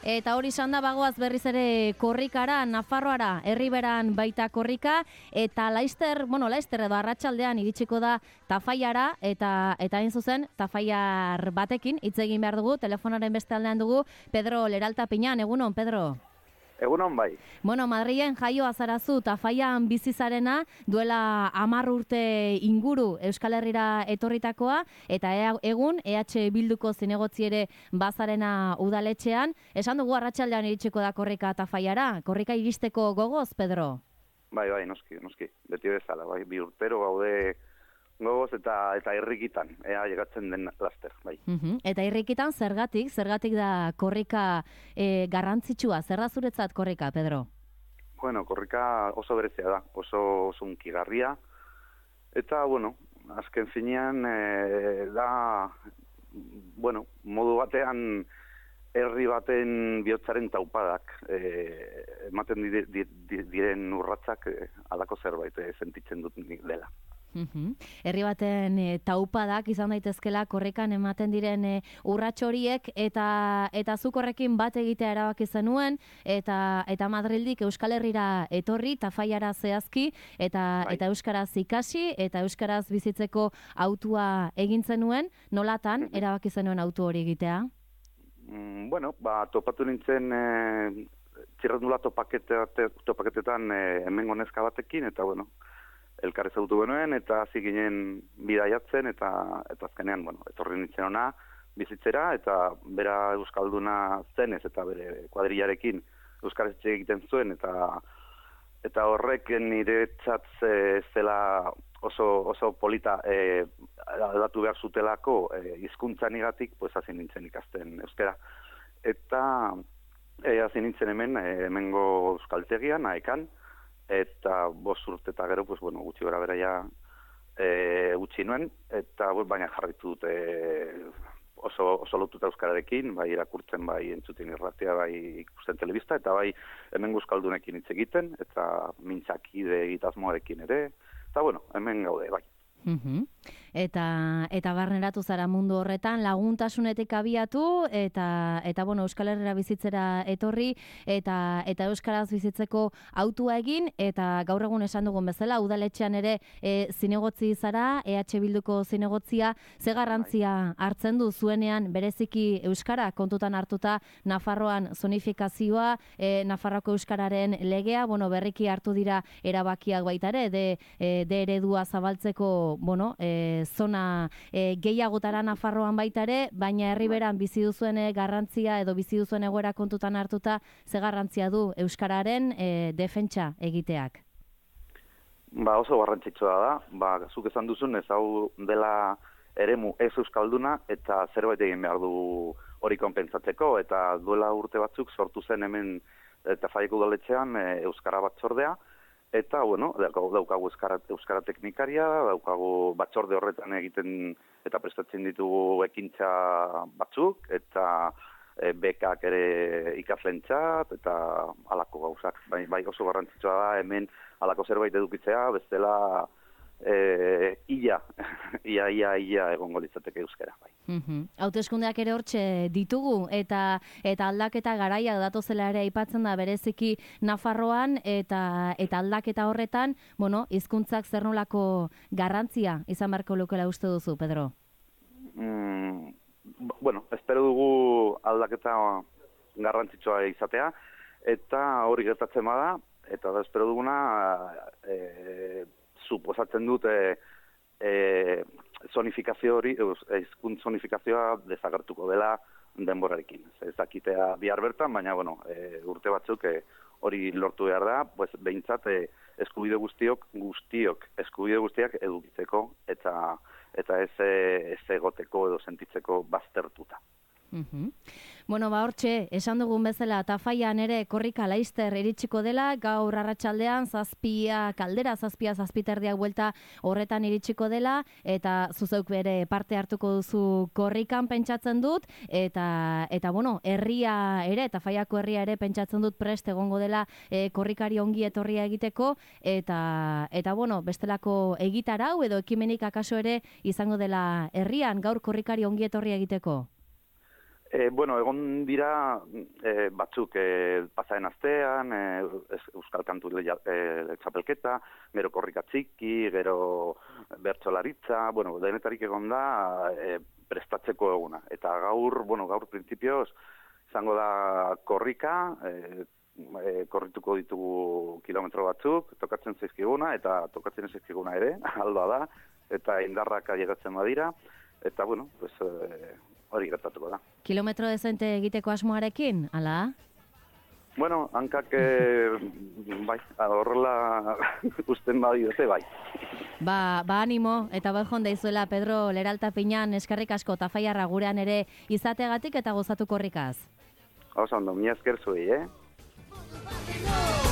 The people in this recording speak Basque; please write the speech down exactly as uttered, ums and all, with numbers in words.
Eta hori izan da bagoaz berriz ere korrikara, Nafarroara, herriberan baita korrika, eta Laister, bueno, Laister edo arratsaldean iritsiko da Tafaiara, eta eta hain zuzen, Tafaiar batekin hitz egin behar dugu, telefonaren beste aldean dugu, Pedro Leralta Piñan. Egunon, Pedro? Egunon bai. Bueno, Madrilen jaio azarazu, Tafaian bizizarena, duela hamar urte inguru Euskal Herrira etorritakoa, eta egun E H Bilduko zinegotzi ere bazarena udaletxean. Esan dugu arratsaldean iritsiko da korrika Tafaiara. Korrika iristeko gogoz, Pedro? Bai, bai, noski, noski. Beti bezala, bai, bi urtero gaude gogoz eta eta irrikitan, ea llegatzen den laster, bai. Uh-huh. Eta irrikitan zergatik, zergatik da korrika e, garrantzitsua, zer da zuretzat korrika, Pedro? Bueno, korrika oso berezia da, oso sunkigarria, eta, bueno, azken finean e, da, bueno, modu batean herri baten bihotzaren taupadak e, ematen dire, dire, diren urratzak e, alako zerbait e, sentitzen dut nik dela. Uhum. Herri baten e, taupadak izan daitezkela korrikan ematen diren e, urrats horiek eta eta zuk horrekin bat egitea erabaki zenuen eta eta Madrildik Euskal Herrira etorri Tafaiara zehazki eta bai. eta euskaraz ikasi eta euskaraz bizitzeko autua egin zenuen. Nolatan erabaki zenuen autu hori egitea? Mm, bueno, ba topatu nintzen e, txirrendula topakete, topaketetan e, hemengo neska batekin eta bueno, elkar ezagutu genuen, eta hasi ginen bidaiatzen, eta eta azkenean, bueno, etorri nintzen ona bizitzera, eta bera euskalduna zenez, eta bere kuadrillarekin euskaraz egiten zuen, eta eta horrek niretzat zela oso oso polita e, aldatu behar zutelako e, hizkuntzanigatik, pues hasi nintzen ikasten euskara. Eta e, hasi nintzen hemen, e, hemengo euskaltegian, Aekan, eta bost urte eta gero, pues, bueno, gutxi gara bera ja e, gutxi nuen, eta pues, baina jarritu dut e, oso, oso lotuta euskararekin, bai irakurtzen, bai entzuten irratia, bai ikusten telebista, eta bai hemen euskaldunekin hitz egiten, eta mintzakide egitazmoarekin ere, eta bueno, hemen gaude, bai. Uh-huh. Eta eta barneratu zara mundu horretan laguntasunetik abiatu eta eta bueno, Euskal Herrira bizitzera etorri eta eta euskaraz bizitzeko autua egin eta gaur egun esan dugun bezala udaletxean ere e, zinegotzi zara, E H Bilduko zinegotzia, ze garrantzia hartzen du zuenean bereziki euskara kontutan hartuta Nafarroan zonifikazioa, e, Nafarroako euskararen legea, bueno, berriki hartu dira erabakiak baita ere de, e, de eredua zabaltzeko bueno, e, zona e, gehiagotara Nafarroan baita ere, baina herriberan bizi duzuen garrantzia edo bizi duzuen egoera kontutan hartuta, ze garrantzia du euskararen e, defentsa egiteak? Ba, oso garrantzitsua da, ba, zuk esan duzun ez hau dela eremu ez euskalduna eta zerbait egin behar du hori konpentsatzeko, eta duela urte batzuk sortu zen hemen Tafaiako udaletxean e, euskara batzordea. Eta, bueno, daukagu euskara, euskara teknikaria, daukagu batzorde horretan egiten eta prestatzen ditugu ekintza batzuk, eta e, bekak ere ikaslentzat, eta halako gauzak. Bai, bai oso garrantzitsua da hemen halako zerbait edukitzea, bestela e, ia, ia, ia, ia egongo litzateke euskara. Bai. Uh-huh. Hauteskundeak ere hortxe ditugu eta eta aldaketa garaia datozela ere aipatzen da bereziki Nafarroan eta eta aldaketa horretan, bueno, hizkuntzak zer nolako garrantzia izan beharko lukela uste duzu, Pedro? Mm, bueno, espero dugu aldaketa garrantzitsua izatea eta hori gertatzen bada eta da espero duguna e, suposatzen dut e, e, zonifikazio hori, hizkuntz zonifikazioa desagertuko dela denborarekin. Ez dakitea bihar bertan, baina bueno, e, urte batzuk e, hori lortu behar da, pues behintzat e, eskubide guztiok, guztiok eskubide guztiak edukitzeko eta eta ez ez egoteko edo sentitzeko baztertuta. Uh-huh. Bueno, ba hortxe, esan dugun bezala Tafaian ere korrika Laister iritsiko dela, gaur arratsaldean zazpia kaldera, zazpia zazpiterdiak buelta horretan iritsiko dela, eta zuzeuk bere parte hartuko duzu korrikan pentsatzen dut, eta eta bueno, herria ere, Tafaiako herria ere pentsatzen dut prest egongo dela e, korrikari ongi etorria egiteko, eta eta bueno, bestelako egitarau edo ekimenik akaso ere izango dela herrian gaur korrikari ongi etorria egiteko. E, bueno, egon dira e, batzuk e, pasaren astean, e, Euskal Kantu e, txapelketa, gero korrika txiki, gero bertsolaritza, bueno, denetarik egon da e, prestatzeko eguna. Eta gaur, bueno, gaur printzipioz, izango da korrika, e, e, korrituko ditugu kilometro batzuk, tokatzen zaizkiguna, eta tokatzen zaizkiguna ere, aldoa da, eta indarrak ailegatzen badira, eta, bueno, pues, e, hori gertatuko da. Kilometro dezente egiteko asmoarekin, ala? Bueno, hankak, e, bai, horrela usten badiote, bai. Ba, ba animo, eta bai jonda izuela Pedro Leralta Piñan eskerrik asko tafaiarra gurean ere izategatik eta gozatu korrikaz. Hauza ondo, mi esker zuei, eh?